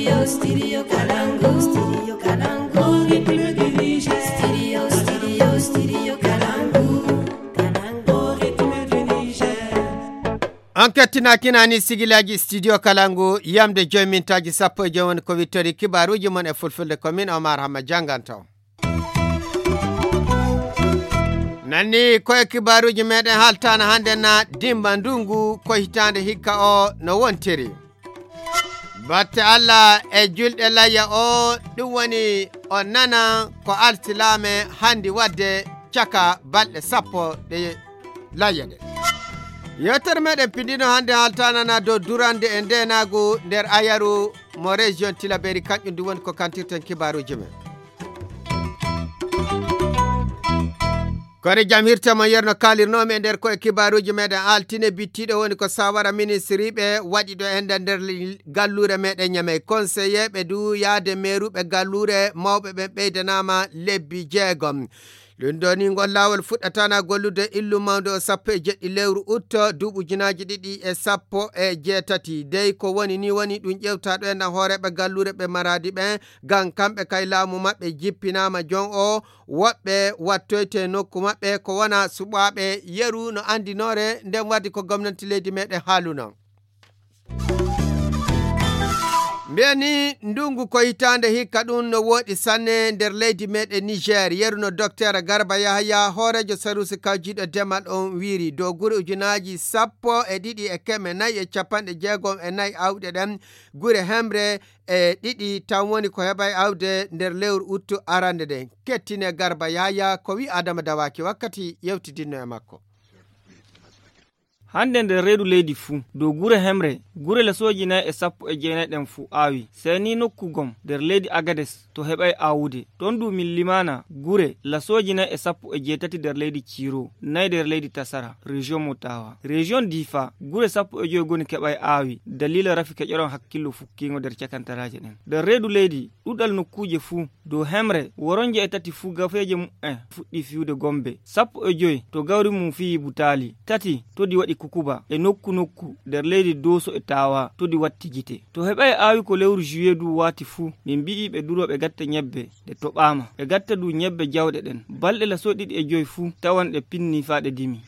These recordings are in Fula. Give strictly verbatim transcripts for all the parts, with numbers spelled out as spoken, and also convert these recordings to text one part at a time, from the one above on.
Studio Kalangu, Studio Kalangu, Ritme du Niger. Studio, Studio, Studio Kalangu, Kalangu, Ritme du Niger. On kettinaa kinaani sigilaaji Studio Kalangu, yamde joy mintaaji sappo e joy woni ko wittori kibaaruuji mon e fulfulde, ko min Omar Hamma jannganto. Nanni ko e kibaaruuji meɗen haaltaana hannde na dimba ndungu ko hitaande hikka o no wontiri. Batte Allah e julɗe layya o, ɗum woni o nana ko alsilaame handi waɗde caka balɗe sappo ɗe layya ɗe. Yewtere meɗen pindino hannde haaltaana na dow durande e ndeenaagu nder ayaru mo région Tilaberi, kanƴum ndu woni ko kantirten kibaaruuji men. Kono jam hirta mo yerno kaalirnoomi e nder ko e kibaaruuji meɗen altine bittiiɗo woni ko sawara ministriiɓe waɗi ɗo enda nder galluure meɗen Ñamey. Konseyeeɓe du yaade meeruɓe galluure mawɓe ɓen ɓeydanaama lebbi jeegom. Ɗum ɗo ni ngol laawol fuɗɗatana gollude illu mawnde o sappo e jeɗɗi lewru utto duuɓi ujunaaji ɗiɗi e sappo e jeetati. Dey ko woni ni woni ɗum ƴewta ɗo e nder hooreeɓe galluure ɓe maraadi ɓen, ngam kamɓe kay laamu maɓɓe jippinaama jon o, woɓɓe wattoyte nokku maɓɓe ko wona suɓaaɓe yeru no anndinoore nden waddi ko gomnanti leydi meɗen haaluno. Mbiya ni ndungu ko hitaande hikka ɗum no woɗi sanne nder leydi meɗen Niger, yeru no Docteur Garba Yahaya, hooreejo sarusi kawjiiɗo demal on wiiri, dow gure ujunaaji sappo e ɗiɗi e keme nayi e capanɗe jeegom e nayi awɗe ɗen, gure hemre e ɗiɗi tan woni ko heɓay awde nder lewru uttu arande nden. Kettine Garba Yahaya ko wi Adama Dawaki wakkati yewtidinno e makko. Hannde nder reedu leydi fuu, dow gure hemre, gure lasooji nayi e sappo e jeenayi ɗen fuu aawi. Sey ni nokku gom nder leydi Agades to heɓay aawude. Ton du min limaana gure lasooji nayi e sappo e jeetati nder leydi Ciiro, nayi nder leydi Tasara, région mo Tawa. Région Difa, gure sappo e joy goni keɓay aawi, daliila rafi keƴoron hakkillo fukkiingo nder cakantaraaje ɗen. Nder reedu leydi, ɗuɗal nokkuuje fuu, dow hemre, woronje e tati fuu gafeeje mu'en fuɗɗi fiyude gombe. Sappo e joy to gawri mum fiyi butaali. Tati to di waɗi kukuba. E nokku nokku, nder leydi Dooso e Taawa, to di watti gite. To heɓay aawi ko lewru juillet du waati fuu, min mbi'i ɓe duro ɓe gatta ñebbe, ɗe toɓaama. Ɓe gatta du ñebbe jawɗe ɗen. Balɗe lasoo ɗiɗi e joy fuu, tawan ɗe pinni faa ɗe dimi.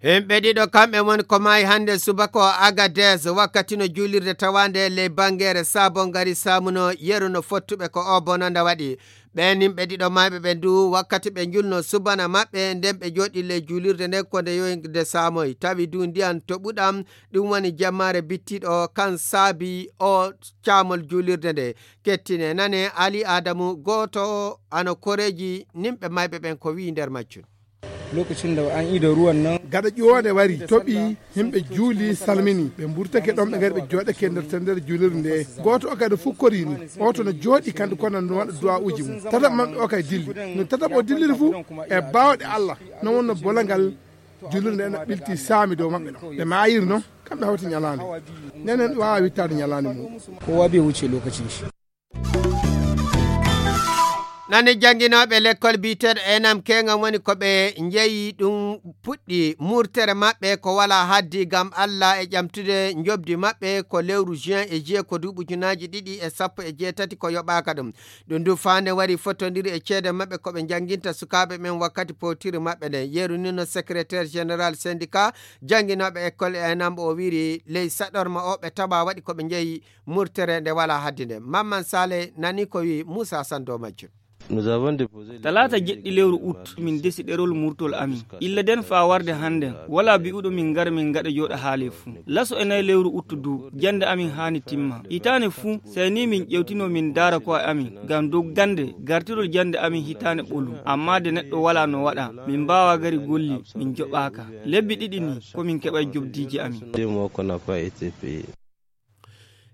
Himɓe ɗiɗo kamɓe woni ko maayi hannde subaka o Agadez wakkati no juulirde tawaande ley bangeere Sabon Gari Samuno yeru no fottuɓe ko o bonanda waɗi. Ɓeen yimɓe ɗiɗo maayɓe ɓe ndu wakkati ɓe njulno subana maɓɓe nden ɓe jooɗi ley juulirde nden ko nde yoyde saamoy tawi du ndiyan toɓuɗam ɗum woni jemmaare bittiɗo kan saabi o caamol juulirde nde. Kettine nane Ali Adamu gooto ano koreeji nimɓe maayɓe ɓen ko wi'i nder majjum. Lokacin da an ida ruwan nan. Gaɗa ƴoonde wari toɓi, himɓe juuli salmini ɓe mburtake ɗon ɓe ngari ɓe jooɗake nder tendere juulirde nde. Gooto o kadi fukkorini oto no jooɗi kandi kono no waɗa du'a uji mum. Tataɓo maɓɓe o kay dilli no tataɓo o dilliri fuu e baawɗe Allah. No wonno bolangal juulirde nde no ɓilti saami dow maɓɓe ɗon ɓe maayiri noon. Kamɓe hawti ñalaande nenen waawa wittaade ñalaande mum. Kowa bai wuce lokacin shi. Nani jannginooɓe lekkol biyeteeɗo enam keeŋam woni ko ɓe njeyi ɗum puɗɗi murtere maɓɓe ko walaa haddi ngam Allah e ƴamtude njoɓdi maɓɓe ko lewru juin e juillet ko duuɓi ujunaaji ɗiɗi e sappo e jeetati ko yoɓaaka ɗum. Ɗum du faande wari fotondiri e ceede maɓɓe ko ɓe njannginta sukaaɓe ɓen wakkati powtiri maɓɓe nden. Yeru ni no secrétaire général syndicat jannginooɓe école enam o wiiri ley saɗorma o ɓe taɓa waɗi ko ɓe njeyi murtere nde walaa haddi nde. Mamman Sale nani ko wi Muusa Sann dow majjum. Talaata jeɗɗi lewru ut min ndesi ɗerol murtol amin. Illa den faa warde hannden, walaa bi'uɗo min ngara min ngaɗa jooɗa haale fuu. Laso e nayi lewru ut du, jannde amin haani timma. Hitaande fuu, sey ni min ƴewtino min ndaara ko'e amin, ngam dow gannde gartirol jannde amin hitaande ɓolu. Ammaa de neɗɗo walaa no waɗa, min mbaawaa gari golli, min joɓaaka. Lebbi ɗiɗi ni, ko min keɓay jobdiiji amin.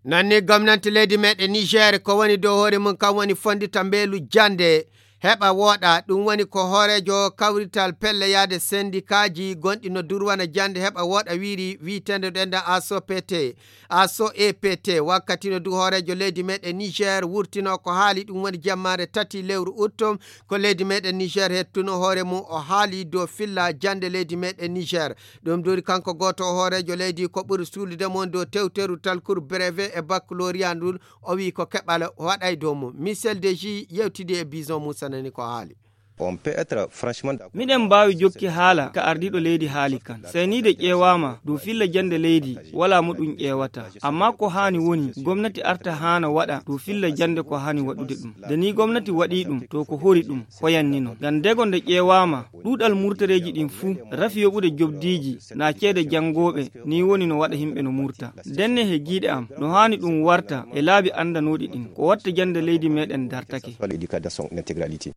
Nanni gomnanti leydi meɗen Niger ko woni dow hoore mum kam woni fondita mbeelu jannde heɓa wooɗa. Ɗum woni ko hooreejo kawrital pelle yaade sendikaaji gonɗi no durwana jannde heɓa wooɗa wiiri, wiiteende ɗo enda A S O P T, A S O E P T. Wakkati no du hooreejo leydi meɗen Niger wurtino ko haali, ɗum woni jammaare tati lewru utto, ko leydi meɗen Niger hettuno hoore mum, o haali dow filla jannde leydi meɗen Niger. Ɗum duuri kanko gooto o hooreejo leydi ko ɓuri suulude mo dow tewteru talkuru brevet e baccalauréat ndun, o wi'i ko keɓal waɗay dow mum. Michel Deji yewtidi e Bison Moussa, nani ko haali. On peut être franchement d'accord. Miɗen mbaawi jokki haala ka ardiiɗo leydi haali kan. Seyniide ƴeewaama dow filla jannde leydi, walaa mo ɗum ƴeewata. Ammaa ko haani woni, gomnati arta haana waɗa dow filla jannde ko haani waɗude ɗum. Nde nii gomnati waɗii ɗum, to ko hori ɗum, hoyanni non. Ngam dego nde ƴeewaama, ɗuuɗal murtareeji ɗin fuu, rafi yoɓude jobdiiji, naa ceede janngooɓe, nii woni no waɗa yimɓe no murta. Ndenne he giiɗe am, no haani ɗum warta e laabi anndanooɗi ɗin, ko watta jannde leydi meɗen dartake. L'éducation en intégralité.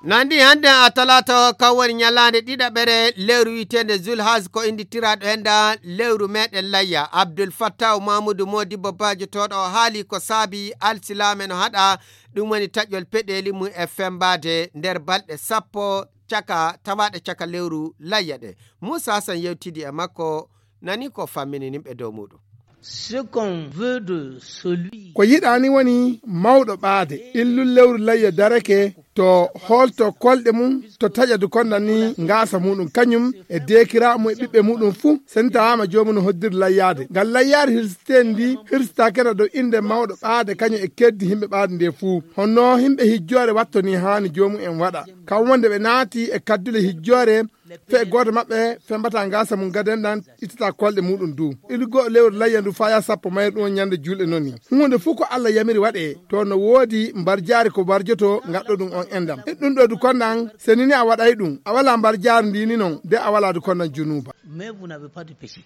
Nandi hannde a talaata o, kan woni ñalaande ɗiɗaɓere lewru wi'eteende Zulhaz, ko innditiraaɗo henda lewru meɗen layya. Abdul Fattah Mamudu Modibbo Baajo tooɗo o haali ko saabi alsilaame no haɗa, ɗum woni taƴol peɗeeli mum e fembaade nder balɗe sappo caka, tawaaɗe caka lewru layya ɗe. Muusa Hasan yewtidi e makko, nani ko fammini nimɓe dow muɗum. Ce qu'on veut de celui Ko yiɗaani woni mawɗo ɓaade, illul lewru layya darake, to hoolto kolɗe mum, to taƴa du konda ni ngaasa muɗum, kañum e deekiraaɓe mum e ɓiɓɓe muɗum fuu, sentaama joomum no hoddiri layyaade. Ngal layyaade hirsiteende ndi, hirsitaake na dow innde mawɗo ɓaade, kañum e keddi yimɓe ɓaade nde fuu. Honno yimɓe hijjoore wattoni haani joomum en waɗa. Kam wonde ɓe naati e kaddule hijjoore, fe gooto maɓɓe fembata ngaasa mum gaden ɗan, ittata kolɗe muɗum du. Ilu go'o lewru layya ndu faya sappo mayru ɗum on ñande juulɗe noni. Huunde fuu ko Alla yamiri waɗe, to no woodi mbarjaari ko mbarjoto ngaɗɗo ɗum on endam. E ɗum ɗo du kondan, seni ni a waɗay ɗum, a wala mbarjaari ndi ni non, de a wala du kondan junuuba. Mais vous n'avez pas de péché.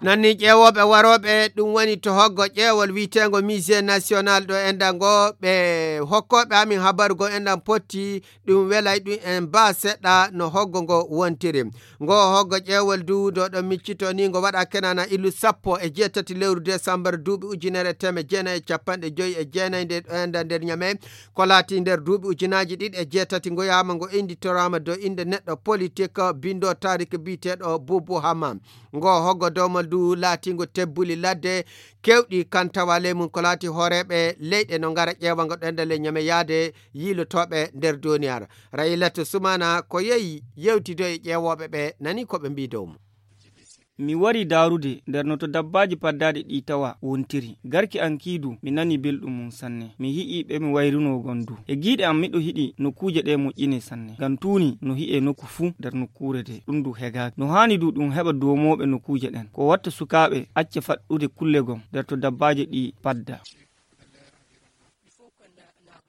Nanni ƴeewooɓe warooɓe, ɗum woni to hoggo ƴeewol wi'eteengo Musée National ɗo enɗan ngo, ɓe hokkooɓe amin habaru ngo enɗan potti, ɗum welay ɗum en baa seɗɗa no hoggo ngo wontiri. Ngo hoggo ƴeewol du ɗo ɗon miccito ni ngo waɗa kenana ilu sappo e jeetati lewru desambar duuɓi ujunere e teemeɗɗe jeenayi e capanɗe joyi e jeenayi nde ɗo enɗan nder Ñamey. Ko laati nder duuɓi ujunaaji ɗiɗi e jeetati, ngoyaama ngo innditoraama dow innde neɗɗo politik, binndoo taariik biyeteeɗo Buubu Hama. Ngo hoggo domal du laatiingo tebbuli ladde keewɗi kan tawa ley mum ko laati hooreeɓe leyɗe no ngara ƴeewa ngo ɗo enɗan ley Ñamey yaade yiilotooɓe nder duniyaaru. Rayilatu Sumaana ko yehi yewtidoyi e ƴeewooɓe ɓe, nani ko ɓe mbii dow mum. Mi wari daarude nder no to dabbaaji paddaaɗi ɗi tawa wontiri. Garki an kii du, mi nani belɗum mum sanne. Mi yi'ii ɓe mi wayrunoo gon du. E giiɗe am miɗo yiɗi nokkuuje ɗe moƴƴine sanne. Ngam tuuni no yi'ee nokku fuu nder nokkuure de. Ɗum du hegaaki. No haani du ɗum heɓa doomooɓe nokkuuje ɗen. Ko watta sukaaɓe acca faɗɗude kulle gon nder to dabbaaji ɗi padda.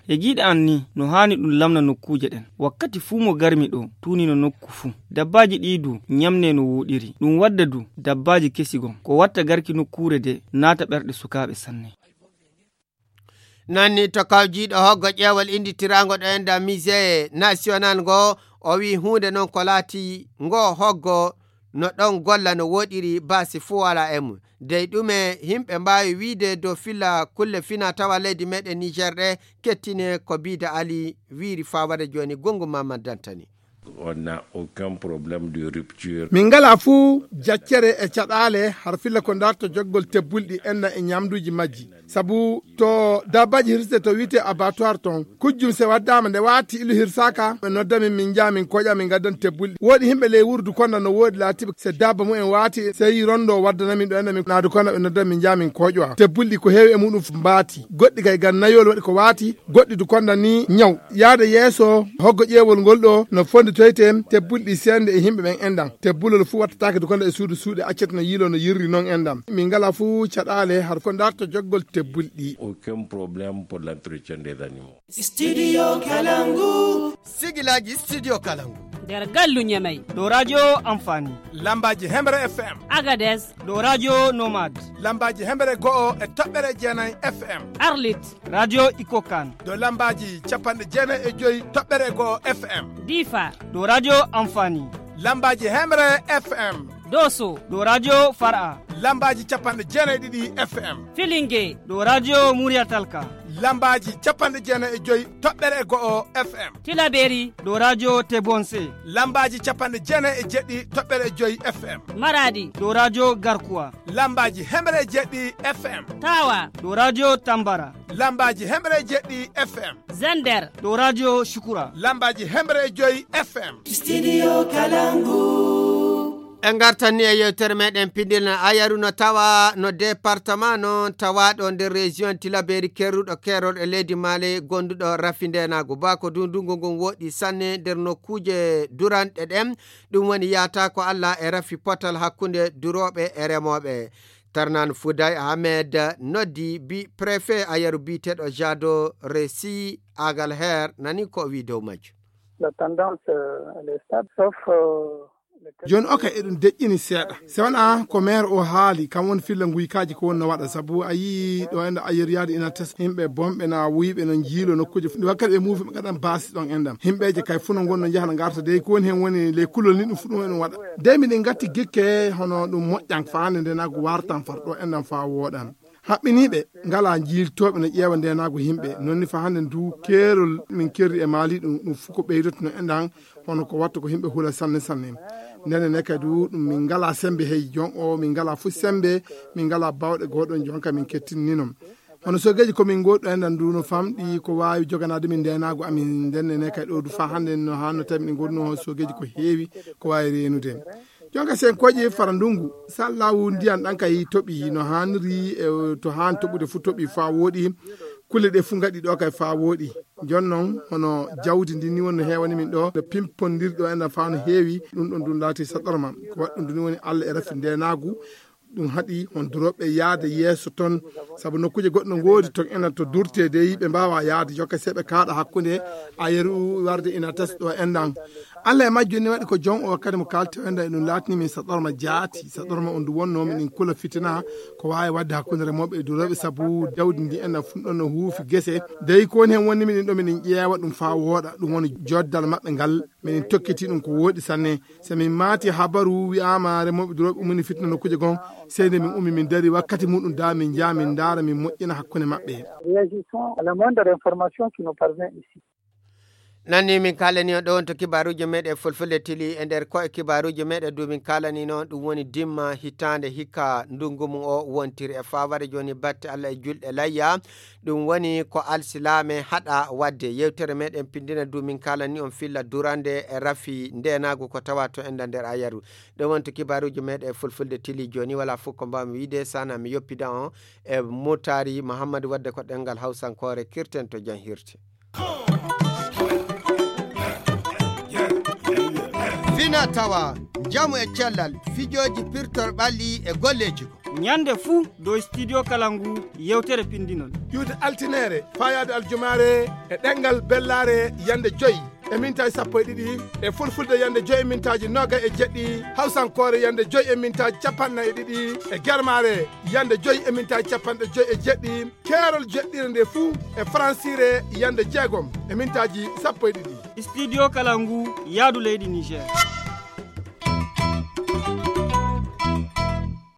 E giiɗe an ni, no haani ɗum lamna nokkuuje ɗen. Wakkati fuu mo garmi ɗo, tuunino nokku fuu. Dabbaaji ɗi du, ñamne no wooɗiri. Ɗum wadda du, dabbaaji kesi gon. Ko watta garki nokkuure de, naata ɓerɗe sukaaɓe sanne. Nanni to kawjiiɗo hoggo ƴeewol innditiraango ɗo enɗan Musée National ngo, o wi'i huunde non ko laati ngo hoggo no ɗon golla no wooɗiri baasi fuu walaa e mum. Dey ɗume yimɓe mbaawi wi'ude dow filla kulle fina tawa leydi meɗen Niger ɗe, kettine ko Biida Ali wiiri faa wara jooni gongu Mamad Dantani. On n'a aucun problème de rupture. Min ngalaa fuu jaccere e caɗaale har filla ko darto joggol tebbulɗi enɗan e ñamduuji majji. Sabu to dabbaaji hirsete to wi'etee abattoir ton, kujjum se waddaama nde waati ilu hirsaaka, ɓe nodda min, min njaha min koƴa min ngaddan tebbulɗi. Woodi yimɓe ley wuro du konda no woodi laatiiɓe se dabba mumen waati, sey rondo waddana min ɗo enɗan min naadu konda ɓe nodda min njaha min koƴowa. Tebbulɗi ko heewi e muɗum mbaati. Goɗɗi kay ngam nayol waɗi ko waati, goɗɗi du konda ni ñaw. Yaade yeeso, hoggo ƴeewol ngol ɗo no fonditoyte tebbulɗi seende e yimɓe ɓen enɗan. Tebbulol fuu wattataake du konda e suudu suuɗe accete no yiiloo no yirri non enɗan. Min ngalaa fuu caɗaale har ko darto joggol tebbulɗi. Aucun problème pour l'entretien des animaux. Studio Kalangu. Sigilaaji Studio Kalangu. Nder gallu Ñamey. Ɗo radio Amfani. Lambaaji Hemre F M. Agadez. Ɗo radio Nomad. Lambaaji Hemre go'o e toɓɓere jeenayi F M. Arlit. Radio Ikokan. Ɗo lambaaji capanɗe jeenayi e joyi toɓɓere go'o F M. Difa. Ɗo radio Amfani. Lambaaji Hemre F M. Doso. Ɗo radio Far'a. Lambaaji capanɗe jeenayi ɗiɗi F M. Filinge. Ɗo radio Murya Talka. Lambaaji capanɗe jeenayi e joy toɓɓere e go'o F M. Tilaberi. Ɗo radio Tebonse. Lambaaji capanɗe jeenayi e jeɗɗi toɓɓere e joy F M. Maradi. Ɗo radio Garkuwa. Lambaaji hemre e jeɗɗi F M. Tawa. Ɗo radio Tambara. Lambaaji hemre e jeɗɗi F M. Zender. Ɗo radio Shukura. Lambaaji hemre e joy F M. Studio Kalangu. En ngartan ni e yewtere meɗen pinndinal. Ayaru no tawa no département non tawaaɗo nder région Tilaberi kerruɗo keerol e leydi Mali gonduɗo rafi ndenaagu. Ba ko ndungu ngun woɗɗi sanne nder nokkuuje duranɗe ɗen. Ɗum woni yaata ko Allah e rafi potal hakkunde durooɓe e remooɓe. Tarnan Fouday Ahmed noddi bi préfet Ayaru biyeteeɗo Jado Resi Agalher nani ko o wi dow majjum. La tendance, euh, elle est stable, sauf, euh, le jooni oka eɗum deƴƴini seeɗa. Se wona ko maire o haali, kam woni filla nguykaaji ko wonno waɗa, sabu a yii ɗo enda Ayaru yaade ina tesa yimɓe bonɓe na wuyɓe no jiilo nokkuuje fof. Wakkati ɓe muufi ɓe ngaɗan baasi ɗon endam. Yimɓeeje kay fof no ngonno njahana ngarta dey ko woni heen woni ley kulol ni ɗum fof ɗum eɗum waɗa. Dey miɗen ngatti gikke hono ɗum moƴƴan fa hannde nde na ko wartan far ɗo endam fa wooɗan. Haɓɓiniiɓe ngalaa jiiltooɓe no ƴeewa ndeenaagu yimɓe. Noon ni fa hannde ndu keerol min kerri e Maali ɗum, ɗum fof ko ɓeydoto no enɗan, hono ko watta ko yimɓe hula sanne sanne. Ndenne ne kadi du, ɗum min ngalaa semmbe hey jon o, min ngalaa fof semmbe, min ngalaa baawɗe gooɗon jon ka min kettinni noon. Hono sogeeji ko min ngoɗɗo enɗan du no famɗi ko waawi joganaade min ndeenaagu amin ndenne ne kadi ɗo du fa hannde no hanno tawi min ngoɗno sogeeji ko heewi ko waawi reenude. Jonka sen koƴi fara ndungu, sallahu ndiyan ɗan kay toɓi no hanri e to han toɓude fu toɓi fa woɗi. Kulle ɗe fu ngaɗi ɗo kay fa woɗi. Jon non hono jawdi ndi ni wonno heewani min ɗo, no pimpondirɗo enɗan fa no heewi, ɗum ɗon ɗum laati saɗorma. Ko waɗɗum ɗum ni woni Allah e rafi ndenaagu, ɗum haɗi hon durooɓe yaade yeeso ton, sabu nokkuuje goɗɗo ngoodi ton enɗan to durtede, ɓe mbaawa yaade jokke seeɓe kaaɗa hakkunde a yeru warde ina tes ɗo enɗan. Allah e majjum ni waɗi ko jon o wakkati mo kaalti o enɗan e ɗum laatini min saɗorma jaati, saɗorma on ndu wonno min kula fitina ko waawi waɗde hakkunde remooɓe e durooɓe, sabu jawdi ndi enɗan fun ɗon no huufi gese. Dey ko woni heen wonni min ɗo min ƴeewa ɗum faa wooɗa, ɗum woni joddal maɓɓe ngal. Min tokkiti ɗum ko wooɗi sanne. So min maati habaru wi'aama remooɓe durooɓe ummini fitna nokkuuje gon, sey nde min ummi min dari wakkati muɗum da min njaha min ndaara min moƴƴina hakkunde maɓɓe. Réagissons à la moindre information qui nous parvient ici. Nanni min kaalani on ɗo on to kibaaruuji meɗen fulfulde tili e nder koye kibaaruuji meɗen du min kaalani noon ɗum woni dimma hitaande hikka ndungu mum o wontiri e faaware jooni batte Allah e julɗe layya. Ɗum woni ko alsilaame haɗa waɗde. Yewtere meɗen pindina du min kaalani on filla durande e rafi ndenaagu ko tawa to enda nder ayaru. Ɗum woni to kibaaruuji meɗen fulfulde tili jooni wala fof ko mbaami wiide sana mi yoppida on e mutari Muhammadu wadde ko ɗengal hawsankoore kirten to jan hirte. Fina tawa, njamu e cellal, fijooji pirtor ɓalli e golleeji ko. Ñande fuu dow studio kala ngu yewtere pinndinol. Ƴuwde altineere, faayaade aljumaare e ɗengal bellaare yande joy e mintaaji sappo e ɗiɗi, e fulfulde yande joy e mintaaji noogay e jeɗɗi, hawsankoore yande joy e mintaaji capanɗe nayi e ɗiɗi, e germaare yande joy e mintaaji capanɗe joy e jeɗɗi, keerol jeɗɗire nde fuu e faransiire yande jeegom e mintaaji sappo e ɗiɗi. Studio kala ngu yaadu leydi Niger.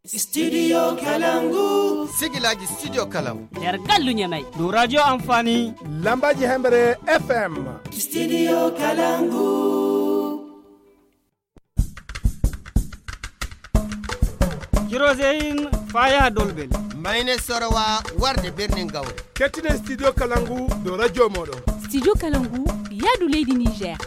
Studio Kalangu. Sigilaji Studio Kalangu. Nder gallu Ñamay. Dow radio Amfani. Lambaji Hembre F M. Studio Kalangu. Kiroseyin faya dolbel. Mayne sorowa warde birnin gawre. Kettine Studio Kalangu dow radio moɗon. Studio Kalangu, yaadu leydi Niger.